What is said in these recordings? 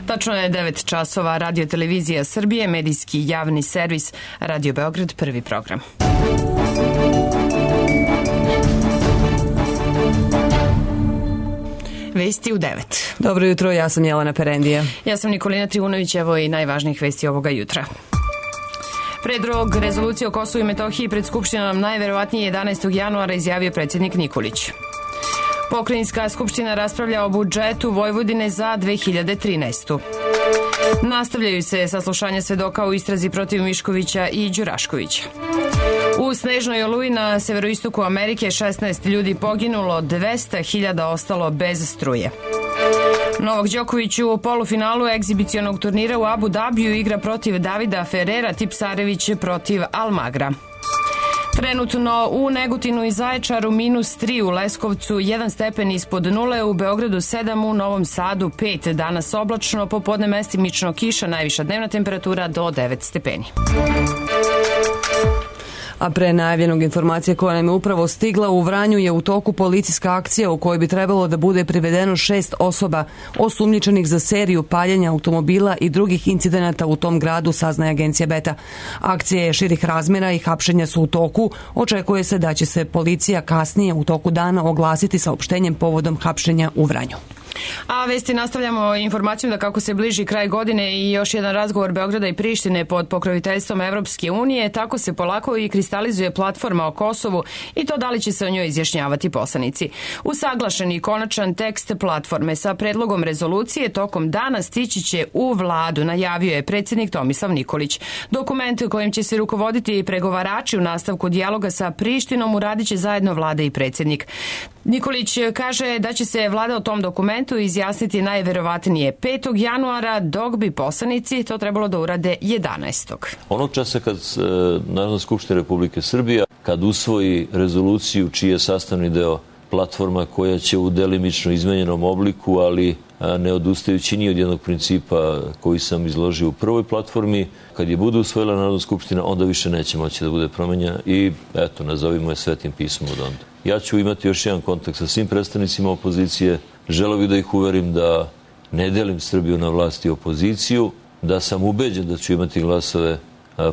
Tačno je 9 časova. Radio Televizija Srbije, medijski javni servis, Radio Beograd, prvi program. Vesti u 9. Dobro jutro, ja sam Jelena Perendija. Ja sam Nikolina Trivunović, evo i najvažnijih vesti ovoga jutra. Predlog rezolucije o Kosovu i Metohiji pred Skupštinom najverovatnije 11. januara izjavio predsjednik Nikolić. Pokrajinska skupština raspravlja o budžetu Vojvodine za 2013. Nastavljaju se saslušanja svedoka u istrazi protiv Miškovića i Đuraškovića. U snežnoj oluji na severoistoku Amerike 16 ljudi poginulo, 200.000 ostalo bez struje. Novak Đoković u polufinalu egzibicionog turnira u Abu Dabiju igra protiv Davida Ferrera, Tipsarević protiv Almagra. Trenutno u Negotinu i Zaječaru -3, u Leskovcu 1 stepen ispod nule, u Beogradu 7, u Novom Sadu 5, danas oblačno, popodne mestimično kiša, najviša dnevna temperatura do 9 stepeni. A pre najavljenog informacije koja nam je upravo stigla, u Vranju je u toku policijska akcija u kojoj bi trebalo da bude privedeno 6 osoba osumnjičenih za seriju paljenja automobila i drugih incidenata u tom gradu, saznaje agencija Beta. Akcija je širih razmjera i hapšenja su u toku. Očekuje se da će se policija kasnije u toku dana oglasiti saopštenjem povodom hapšenja u Vranju. A vesti nastavljamo informacijom da kako se bliži kraj godine i još jedan razgovor Beograda i Prištine pod pokroviteljstvom Evropske unije, tako se polako i kristalizuje platforma o Kosovu i to da li će se o njoj izjašnjavati poslanici. Usaglašeni konačan tekst platforme sa predlogom rezolucije tokom dana stići će u vladu, najavio je predsjednik Tomislav Nikolić. Dokument kojim će se rukovoditi pregovarači u nastavku dijaloga sa Prištinom uradit će zajedno vlada i predsjednik. Nikolić kaže da će se vlada o tom dokumentu izjasniti najverovatnije 5. januara, dok bi poslanici to trebalo da urade 11. Onog časa kad Narodna skupština Republike Srbije, kad usvoji rezoluciju čiji je sastavni deo platforma koja će u delimično izmenjenom obliku, ali ne odustajući ni od jednog principa koji sam izložio u prvoj platformi, kad je bude usvojila Narodna skupština, onda više neće moći da bude promenjena i eto, nazovimo je svetim pismom od onda. Ja ću imati još jedan kontakt sa svim predstavnicima opozicije. Želeo bih da ih uverim da ne delim Srbiju na vlast i opoziciju, da sam ubeđen da ću imati glasove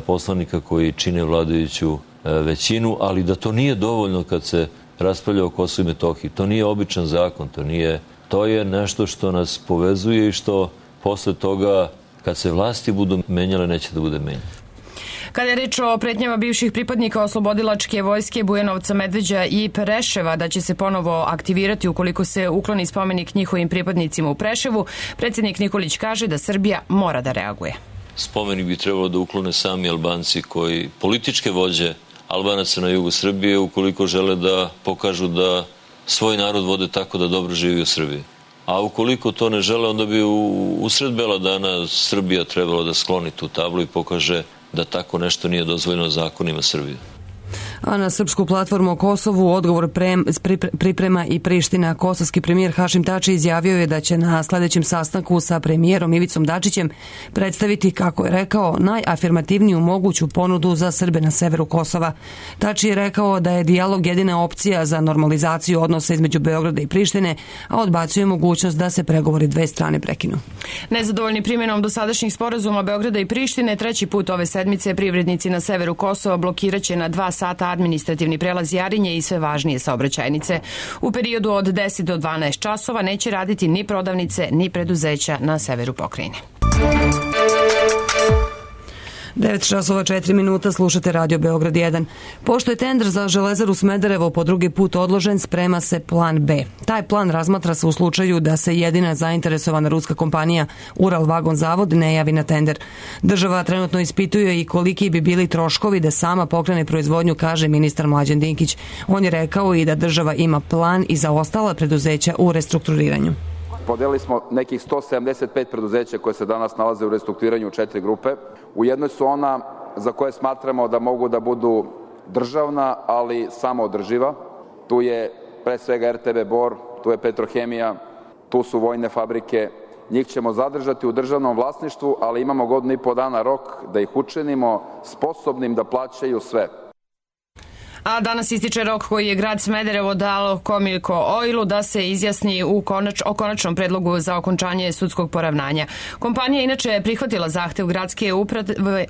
poslanika koji čine vladajuću većinu, ali da to nije dovoljno kad se raspravlja o Kosovu i Metohiji. To nije običan zakon, to je nešto što nas povezuje i što posle toga, kad se vlasti budu menjale, neće da bude menjano. Kada je reč o pretnjama bivših pripadnika oslobodilačke vojske Bujanovca, Medveđa i Preševa da će se ponovo aktivirati ukoliko se ukloni spomenik njihovim pripadnicima u Preševu, predsjednik Nikolić kaže da Srbija mora da reaguje. Spomenik bi trebalo da uklone sami Albanci koji političke vođe Albanaca na jugu Srbije ukoliko žele da pokažu da svoj narod vode tako da dobro živi u Srbiji. A ukoliko to ne žele, onda bi usred bela dana Srbija trebala da skloni tu tablu i pokaže da tako nešto nije dozvoljeno zakonima Srbije. A na srpsku platformu o Kosovu odgovor priprema i Priština. Kosovski premijer Hašim Tači izjavio je da će na sljedećem sastanku sa premijerom Ivicom Dačićem predstaviti, kako je rekao, najafirmativniju moguću ponudu za Srbe na severu Kosova. Tači je rekao da je dijalog jedina opcija za normalizaciju odnosa između Beograda i Prištine, a odbacuje mogućnost da se pregovori dve strane prekinu. Nezadovoljni primjenom dosadašnjih sporazuma Beograda i Prištine, treći put ove sedmice privrednici na severu Kosova blokiraće na 2 sata administrativni prelaz Jarinje i sve važnije saobraćajnice. U periodu od 10 do 12 časova neće raditi ni prodavnice, ni preduzeća na severu pokrajine. 9 časova 4 minuta, slušate Radio Beograd 1. Pošto je tender za Železaru Smederevo po drugi put odložen, sprema se plan B. Taj plan razmatra se u slučaju da se jedina zainteresovana ruska kompanija Ural Vagon Zavod ne javi na tender. Država trenutno ispituje i koliki bi bili troškovi da sama pokrene proizvodnju, kaže ministar Mlađan Dinkić. On je rekao i da država ima plan i za ostala preduzeća u restrukturiranju. Podelili smo nekih 175 preduzeća koje se danas nalaze u restrukturiranju u 4 grupe. U jednoj su ona za koje smatramo da mogu da budu državna, ali samoodrživa. Tu je pre svega RTB Bor, tu je Petrohemija, tu su vojne fabrike. Njih ćemo zadržati u državnom vlasništvu, ali imamo 1,5 godina rok da ih učinimo sposobnim da plaćaju sve. A danas ističe rok koji je grad Smederevo dalo Comico Oilu da se izjasni o konačnom predlogu za okončanje sudskog poravnanja. Kompanija inače prihvatila zahtev gradske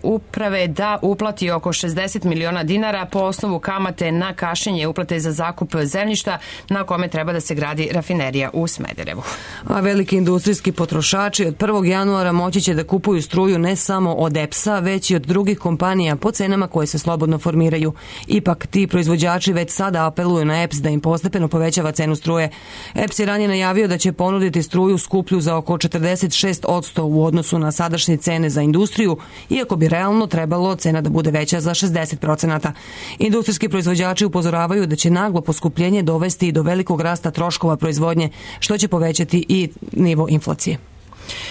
uprave da uplati oko 60 miliona dinara po osnovu kamate na kašnjenje uplate za zakup zemljišta na kome treba da se gradi rafinerija u Smederevu. A veliki industrijski potrošači od 1. januara moći će da kupuju struju ne samo od EPS-a, već i od drugih kompanija po cenama koje se slobodno formiraju. Ipak, ti proizvođači već sada apeluju na EPS da im postepeno povećava cenu struje. EPS je ranije najavio da će ponuditi struju skuplju za oko 46% u odnosu na sadašnje cene za industriju, iako bi realno trebalo cena da bude veća za 60%. Industrijski proizvođači upozoravaju da će naglo poskupljenje dovesti do velikog rasta troškova proizvodnje, što će povećati i nivo inflacije.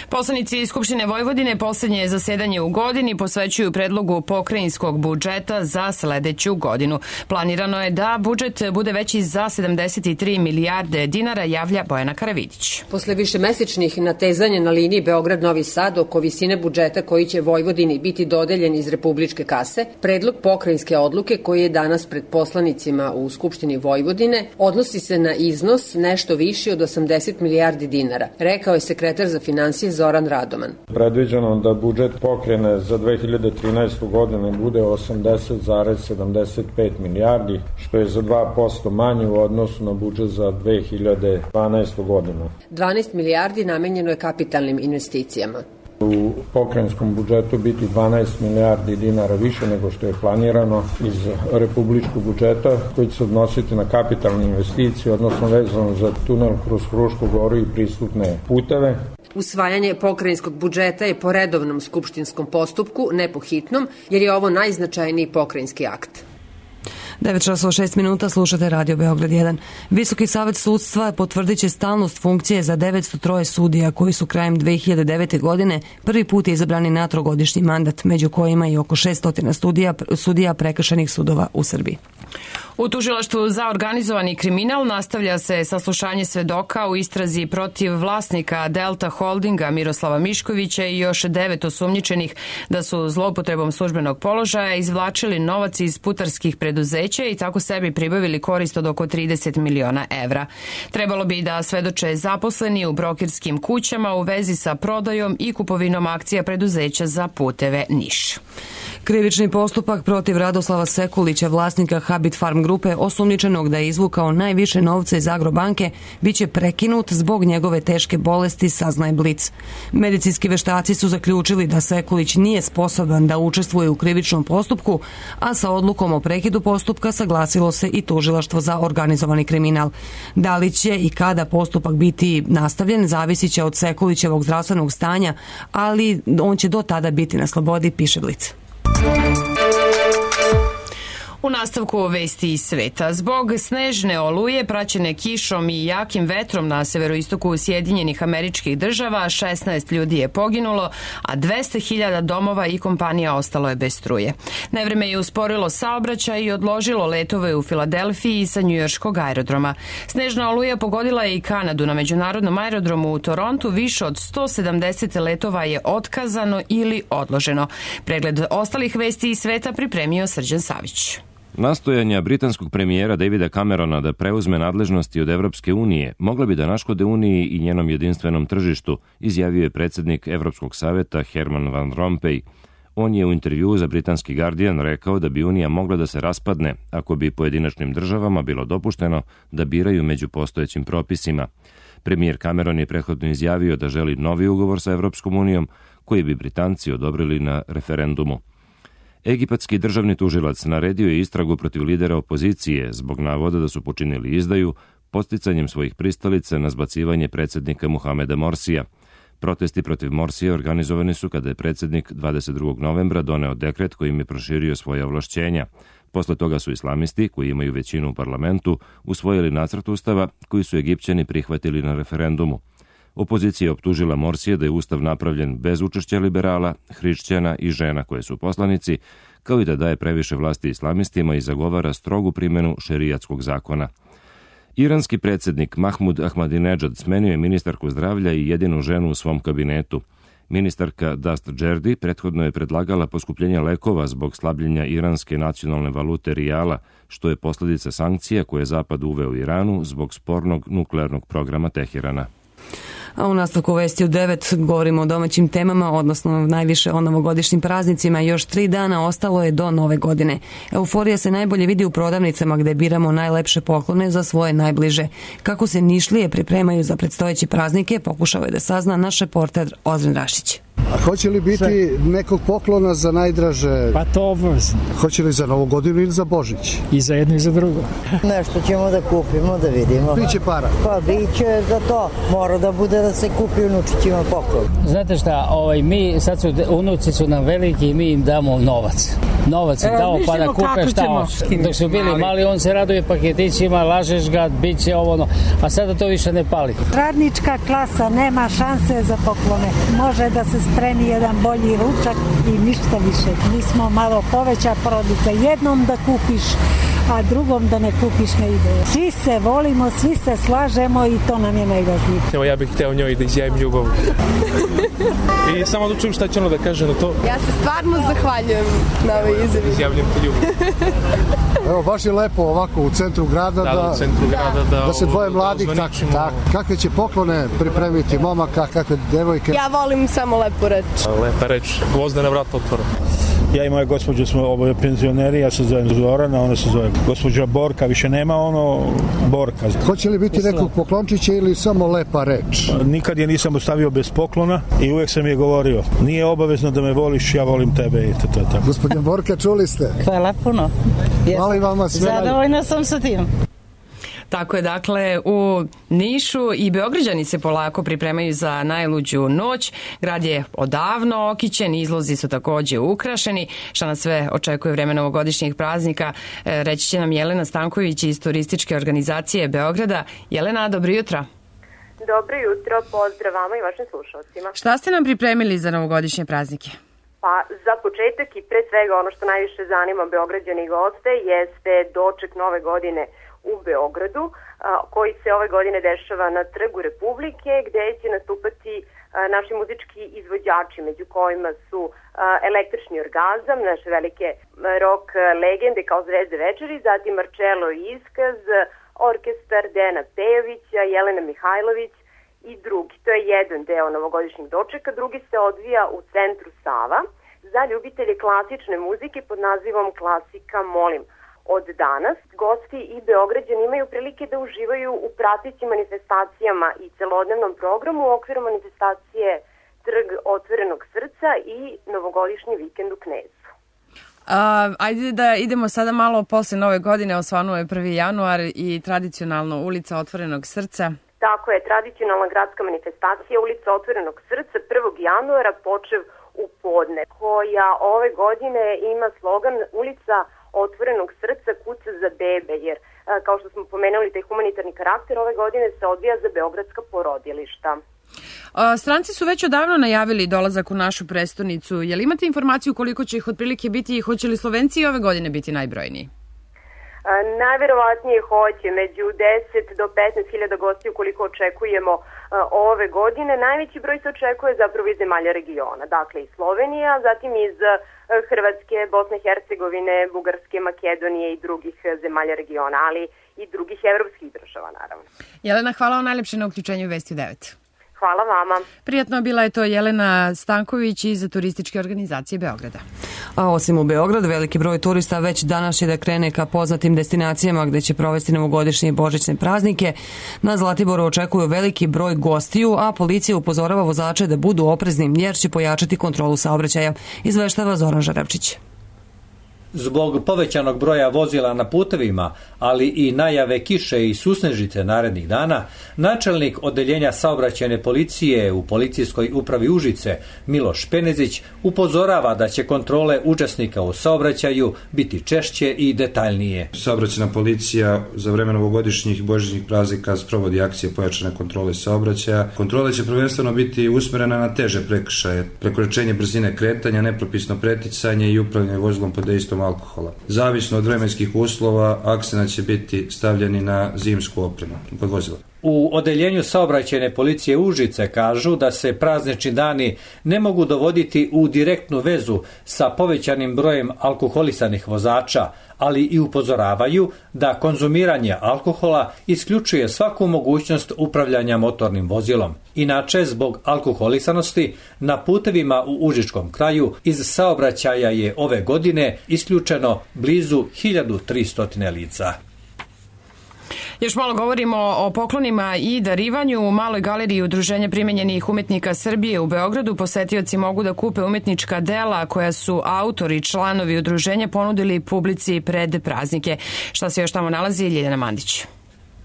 Poslanici Skupštine Vojvodine poslednje zasedanje u godini posvećuju predlogu pokrajinskog budžeta za sledeću godinu. Planirano je da budžet bude veći za 73 milijarde dinara, javlja Bojana Karavidić. Posle višemesečnih natezanja na liniji Beograd-Novi Sad oko visine budžeta koji će Vojvodini biti dodeljen iz republičke kase, predlog pokrajinske odluke koji je danas pred poslanicima u Skupštini Vojvodine odnosi se na iznos nešto viši od 80 milijardi dinara, rekao je sekretar za finansije Zoran Radoman. Predviđeno da budžet pokrajine za 2013. godinu bude 80,75 milijardi, što je za 2% manje u odnosu na budžet za 2012. godinu. 12 milijardi namenjeno je kapitalnim investicijama. U pokrajinskom budžetu biti 12 milijardi dinara više nego što je planirano iz republičkog budžeta, koji će se odnositi na kapitalne investicije, odnosno vezano za tunel kroz Frušku Goru i pristupne puteve. Usvajanje pokrajinskog budžeta je po redovnom skupštinskom postupku, ne po hitnom, jer je ovo najznačajniji pokrajinski akt. 9:06 slušate Radio Beograd 1. Visoki savet sudstva potvrdit će stalnost funkcije za 903 sudija koji su krajem 2009. godine prvi put izabrani na trogodišnji mandat, među kojima i oko 600 sudija prekršajnih sudova u Srbiji. U tužilaštvu za organizovani kriminal nastavlja se saslušanje svedoka u istrazi protiv vlasnika Delta Holdinga Miroslava Miškovića i još 9 osumnjičenih da su zloupotrebom službenog položaja izvlačili novac iz putarskih preduzeća i tako sebi pribavili korist od oko 30 miliona evra. Trebalo bi da svedoče zaposleni u brokerskim kućama u vezi sa prodajom i kupovinom akcija preduzeća za puteve Niš. Krivični postupak protiv Radoslava Sekulića, vlasnika Habit Farm grupe, osumnjičenog da je izvukao najviše novca iz Agrobanke, biće prekinut zbog njegove teške bolesti, saznaje Blic. Medicinski veštaci su zaključili da Sekulić nije sposoban da učestvuje u krivičnom postupku, a sa odlukom o prekidu postupka saglasilo se i tužilaštvo za organizovani kriminal. Da li će i kada postupak biti nastavljen, zavisit će od Sekulićevog zdravstvenog stanja, ali on će do tada biti na slobodi, piše Blic. U nastavku vesti iz sveta. Zbog snežne oluje praćene kišom i jakim vetrom na severoistoku Sjedinjenih Američkih Država 16 ljudi je poginulo, a 200.000 domova i kompanija ostalo je bez struje. Nevreme je usporilo saobraćaj i odložilo letove u Filadelfiji sa njujorškog aerodroma. Snežna oluja pogodila je i Kanadu. Na međunarodnom aerodromu u Torontu više od 170 letova je otkazano ili odloženo. Pregled ostalih vesti iz sveta pripremio Srđan Savić. Nastojanja britanskog premijera Davida Camerona da preuzme nadležnosti od Evropske unije mogla bi da naškode Uniji i njenom jedinstvenom tržištu, izjavio je predsjednik Evropskog saveta Herman Van Rompuy. On je u intervjuu za britanski Guardian rekao da bi Unija mogla da se raspadne ako bi pojedinačnim državama bilo dopušteno da biraju među postojećim propisima. Premijer Cameron je prethodno izjavio da želi novi ugovor sa Evropskom unijom koji bi Britanci odobrili na referendumu. Egipatski državni tužilac naredio je istragu protiv lidera opozicije zbog navoda da su počinili izdaju podsticanjem svojih pristalica na zbacivanje predsjednika Muhameda Morsija. Protesti protiv Morsija organizovani su kada je predsjednik 22. novembra doneo dekret kojim je proširio svoje ovlašćenja. Posle toga su islamisti, koji imaju većinu u parlamentu, usvojili nacrt ustava koji su Egipćani prihvatili na referendumu. Opozicija je optužila Morsija da je ustav napravljen bez učešća liberala, hrišćana i žena koje su poslanici, kao i da daje previše vlasti islamistima i zagovara strogu primjenu šerijatskog zakona. Iranski predsjednik Mahmud Ahmadinejad smenio je ministarku zdravlja i jedinu ženu u svom kabinetu. Ministarka Dast Džerdi prethodno je predlagala poskupljenje lekova zbog slabljenja iranske nacionalne valute rijala, što je posljedica sankcija koje je Zapad uveo u Iranu zbog spornog nuklearnog programa Teherana. A u nastavku vesti u 9 govorimo o domaćim temama, odnosno najviše o novogodišnjim praznicima. Još 3 dana ostalo je do Nove godine. Euforija se najbolje vidi u prodavnicama gde biramo najlepše poklone za svoje najbliže. Kako se Nišlije pripremaju za predstojeće praznike, pokušao je da sazna naš reporter Ozren Rašić. A hoće li biti nekog poklona za najdraže? Pa to obavezno. Hoće li za Novu godinu ili za Božić? I za jedno i za drugo. Nešto ćemo da kupimo, da vidimo. Biće para? Pa biće za to. Mora da bude da se kupi unučićima poklon. Znate šta, mi sad unuci su nam veliki i mi im damo novac. Novac im damo pa da kupe šta hoće. Dok su bili mali, on se raduje paketićima, lažeš ga, bit će ovo, a sada to više ne pali. Radnička klasa nema šanse za poklone. Može da se spremi jedan bolji ručak i ništa više. Mi smo malo poveća porodica. Jednom da kupiš, a drugom da ne kupiš ne ide. Svi se volimo, svi se slažemo i to nam je najvažnije. Evo ja bih hteo njoj da izjavim ljubav. I samo da čujem šta će ona da kaže na to. Ja se stvarno zahvaljujem na ovoj izjavi. Izjavljam ti ljubav. Evo, baš je lepo ovako u centru grada da se dvoje mladih kakve će poklone pripremiti momaka, kakve devojke. Ja volim samo lepu reč. Lepa reč, gvozdena vrata otvora. Ja i moja gospođa smo oboje penzioneri, ja se zovem Zorana, ona se zove gospođa Borka, više nema Borka. Hoće li biti nekog poklončića ili samo lepa reč? Nikad je nisam ostavio bez poklona i uvek sam je govorio, nije obavezno da me voliš, ja volim tebe i to. Gospodin Borka, čuli ste? Hvala puno. Hvala vama sve. Zadovoljna sam sa tim. Tako je, dakle, u Nišu i Beograđani se polako pripremaju za najluđu noć. Grad je odavno okićen, izlozi su takođe ukrašeni. Šta nas sve očekuje vreme novogodišnjih praznika, reći će nam Jelena Stanković iz turističke organizacije Beograda. Jelena, dobro jutro. Dobro jutro, pozdrav vama i vašim slušalcima. Šta ste nam pripremili za novogodišnje praznike? Pa za početak i pre svega ono što najviše zanima Beograđani i goste jeste doček Nove godine u Beogradu, koji se ove godine dešava na Trgu Republike, gde će nastupati naši muzički izvođači, među kojima su Električni orgazam, naše velike rock legende kao Zvezde večeri, zatim Marcello Iskaz, orkestar Dejana Pejovića, Jelena Mihajlović i drugi. To je jedan deo novogodišnjeg dočeka, drugi se odvija u centru Sava za ljubitelje klasične muzike pod nazivom Klasika Molim. Od danas gosti i Beograđani imaju prilike da uživaju u pratećim manifestacijama i celodnevnom programu u okviru manifestacije Trg otvorenog srca i novogodišnji vikend u Knezu. Ajde da idemo sada malo posle Nove godine, osvanuo je 1. januar i tradicionalno ulica otvorenog srca. Tako je, tradicionalna gradska manifestacija ulica otvorenog srca 1. januara počev u podne, koja ove godine ima slogan ulica otvorenog srca kuca za bebe, jer kao što smo pomenuli taj humanitarni karakter ove godine se odvija za beogradska porodilišta. Stranci su već odavno najavili dolazak u našu prestonicu. Jel imate informaciju koliko će ih otprilike biti i hoće li Slovenci i ove godine biti najbrojniji? Najverovatnije hoće, među 10 do 15.000 gostiju koliko očekujemo ove godine. Najveći broj se očekuje zapravo iz zemalja regiona, dakle iz Slovenija, zatim iz Hrvatske, Bosne i Hercegovine, Bugarske, Makedonije i drugih zemalja regiona, ali i drugih evropskih država naravno. Jelena, hvala vam najlepše na uključenju Vesti u 9. Hvala vama. Prijatno, bila je to Jelena Stanković iz turističke organizacije Beograda. A osim u Beogradu, veliki broj turista već danas će da krene ka poznatim destinacijama gde će provesti novogodišnje i božićne praznike. Na Zlatiboru očekuju veliki broj gostiju, a policija upozorava vozače da budu oprezni jer će pojačati kontrolu saobraćaja, izveštava Zoran Žarevčić. Zbog povećanog broja vozila na putevima, ali i najave kiše i susnežice narednih dana, načelnik odeljenja saobraćajne policije u policijskoj upravi Užice, Miloš Penezić, upozorava da će kontrole učesnika u saobraćaju biti češće i detaljnije. Saobraćajna policija za vreme novogodišnjih i božićnih praznika sprovodi akcije pojačane kontrole saobraćaja. Kontrole će prvenstveno biti usmerene na teže prekršaje, prekoračenje brzine kretanja, nepropisno preticanje i upravljanje vozilom pod dejstvom alkohola. Zavisno od vremenskih uslova, akcenat će biti stavljeni na zimsku opremu kod vozila. U odeljenju saobraćajne policije Užice kažu da se praznični dani ne mogu dovoditi u direktnu vezu sa povećanim brojem alkoholisanih vozača, ali i upozoravaju da konzumiranje alkohola isključuje svaku mogućnost upravljanja motornim vozilom. Inače, zbog alkoholisanosti na putevima u Užičkom kraju iz saobraćaja je ove godine isključeno blizu 1300 lica. Još malo govorimo o poklonima i darivanju. U Maloj galeriji Udruženja primenjenih umetnika Srbije u Beogradu posetioci mogu da kupe umetnička dela koja su autori, članovi udruženja ponudili publici pred praznike. Šta se još tamo nalazi? Ljiljana Mandić.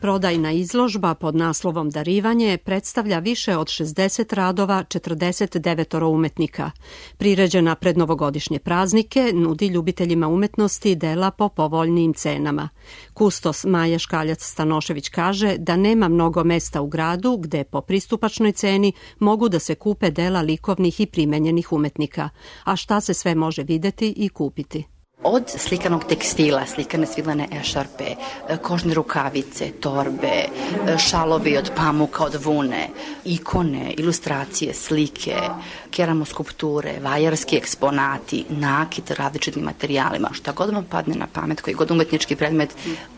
Prodajna izložba pod naslovom Darivanje predstavlja više od 60 radova 49 umetnika. Priređena pred novogodišnje praznike nudi ljubiteljima umetnosti dela po povoljnijim cenama. Kustos Maja Škaljac-Stanošević kaže da nema mnogo mesta u gradu gde po pristupačnoj ceni mogu da se kupe dela likovnih i primenjenih umetnika. A šta se sve može videti i kupiti? Od slikanog tekstila, slikane svilene ešarpe, kožne rukavice, torbe, šalovi od pamuka, od vune, ikone, ilustracije, slike, keramoskulpture, vajarski eksponati, nakit različitim materijalima, šta god vam padne na pamet, koji god umetnički predmet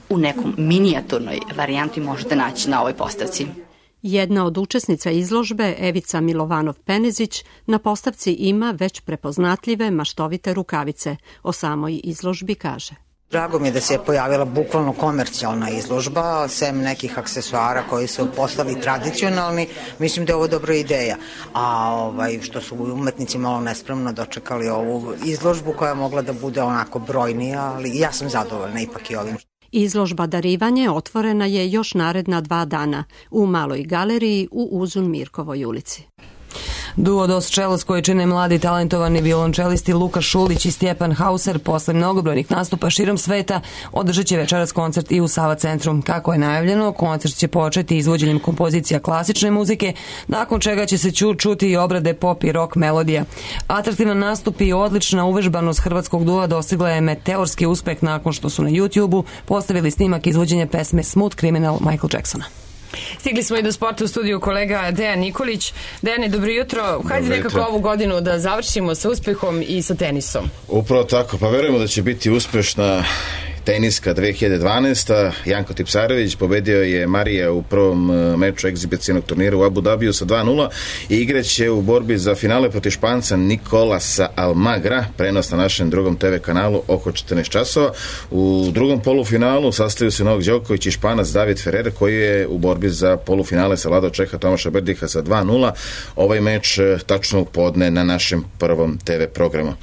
u nekom minijaturnoj varijanti možete naći na ovoj postavci. Jedna od učesnica izložbe, Evica Milovanov-Penezić, na postavci ima već prepoznatljive maštovite rukavice. O samoj izložbi kaže: Drago mi je da se je pojavila bukvalno komercijalna izložba, sem nekih aksesuara koji su postali tradicionalni. Mislim da je ovo dobra ideja. A što su umetnici malo nespremno dočekali ovu izložbu koja je mogla da bude onako brojnija, ali ja sam zadovoljna ipak i ovim. Izložba Darivanje otvorena je još naredna 2 dana u Maloj galeriji u Uzun Mirkovoj ulici. Duo Dos Čelos koji čine mladi talentovani violončelisti Luka Šulić i Stjepan Hauser posle mnogobrojnih nastupa širom sveta održat će večeras koncert i u Sava centru. Kako je najavljeno, koncert će početi izvođenjem kompozicija klasične muzike, nakon čega će se čuti i obrade pop i rock melodija. Atraktivan nastup i odlična uvežbanost hrvatskog dua dostigla je meteorski uspeh nakon što su na YouTube-u postavili snimak izvođenja pesme Smooth Criminal Michael Jacksona. Stigli smo i do sporta u studiju kolega Dejan Nikolić. Dejane, dobro jutro. Hajde nekako ovu godinu da završimo sa uspehom i sa tenisom. Upravo tako, pa verujemo da će biti uspešna teniska 2012. Janko Tipsarević pobedio je Marija u prvom meču egzibicionog turnira u Abu Dhabiju sa 2:0 i igraće u borbi za finale protiv Španca Nikolasa Almagra, prenos na našem drugom TV kanalu oko 14 časova. U drugom polufinalu sastaju se Novak Đoković i Španac David Ferrer koji je u borbi za polufinale savladao Čeha Tomaša Berdiha sa 2:0. Ovaj meč tačno u podne na našem prvom TV programu.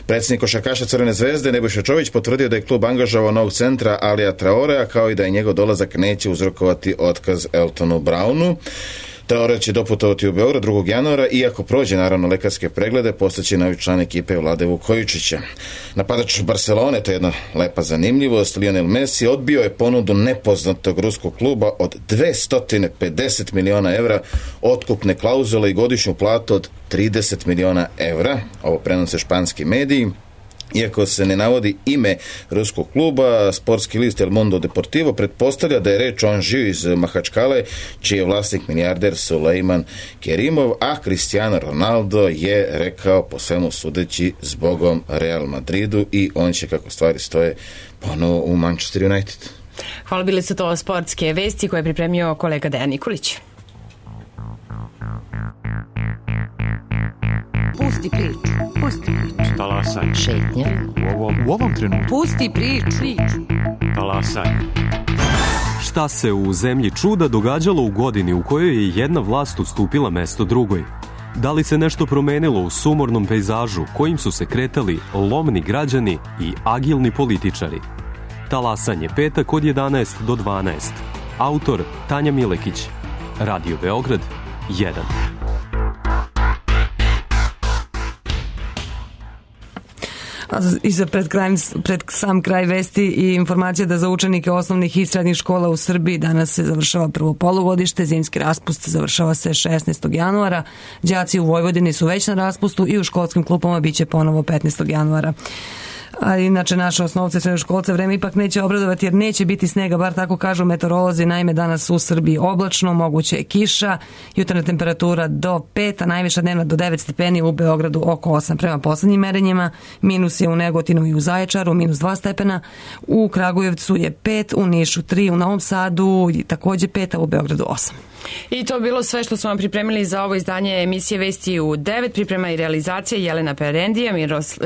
Predsjednik košarkaša Crvene zvezde Nebojša Čović potvrdio da je klub angažovao novog centra Alija Traorea, kao i da je njegov dolazak neće uzrokovati otkaz Eltonu Brownu. Traore će doputovati u Beograd 2. januara, iako prođe naravno lekarske preglede, postaće novi član ekipe Vlade Vukojičića. Napadač Barcelone, to je jedna lepa zanimljivost, Lionel Messi odbio je ponudu nepoznatog ruskog kluba od 250 miliona evra otkupne klauzule i godišnju platu od 30 miliona evra. Ovo prenose španski mediji. Iako se ne navodi ime ruskog kluba, sportski list El Mundo Deportivo pretpostavlja da je reč o Anžiju iz Mahačkale, čiji je vlasnik milijarder Sulejman Kerimov, a Cristiano Ronaldo je rekao po svemu sudeći zbogom Real Madridu i on će, kako stvari stoje, ponovo u Manchester United. Hvala, bile su to sportske vesti koje je pripremio kolega Dejan Nikolić. Pusti priču. Pusti priču. Talasaj. Šetnja. U ovom trenutku. Pusti priču. Talasaj. Šta se u zemlji čuda događalo u godini u kojoj je jedna vlast ustupila mesto drugoj? Da li se nešto promenilo u sumornom pejzažu kojim su se kretali lomni građani i agilni političari? Talasanje, petak od 11 do 12. Autor Tanja Milekić. Radio Beograd 1. I za pred sam kraj vesti i informacija da za učenike osnovnih i srednjih škola u Srbiji danas se završava prvo polugodište, zimski raspust završava se 16. januara, đaci u Vojvodini su već na raspustu i u školskim klupama biće ponovo 15. januara. A inače naše osnovce srednjoškolce vreme ipak neće obradovati jer neće biti snega, bar tako kažu meteorolozi. Naime, danas u Srbiji oblačno, moguće je kiša, jutarnja temperatura do 5, a najviša dnevna do 9 stepeni, u Beogradu oko 8. Prema poslednjim merenjima, minus je u Negotinu i u Zaječaru, minus 2 stepena, u Kragujevcu je 5, u Nišu 3, u Novom Sadu takođe 5, a u Beogradu 8. I to bilo sve što smo vam pripremili za ovo izdanje emisije Vesti u 9. Priprema i realizacija Jelena Perendija,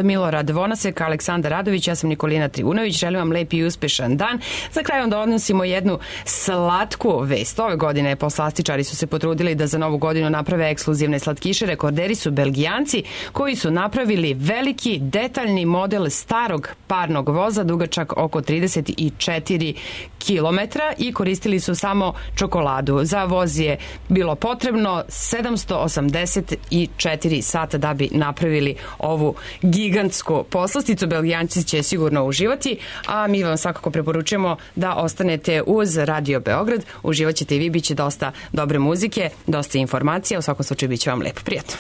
Milorad Vonasek, Aleksandar Radović, ja sam Nikolina Trivunović. Želim vam lep i uspešan dan. Za kraj vam donosimo jednu slatku vest. Ove godine poslastičari su se potrudili da za novu godinu naprave ekskluzivne slatkiše. Rekorderi su Belgijanci koji su napravili veliki detaljni model starog parnog voza dugačak oko 34 kilometra i koristili su samo čokoladu. Za voz je bilo potrebno 784 sata da bi napravili ovu gigantsku poslasticu. Belgijanci će sigurno uživati, a mi vam svakako preporučujemo da ostanete uz Radio Beograd. Uživat ćete i vi, bit će dosta dobre muzike, dosta informacija, u svakom slučaju bit će vam lepo, prijatno.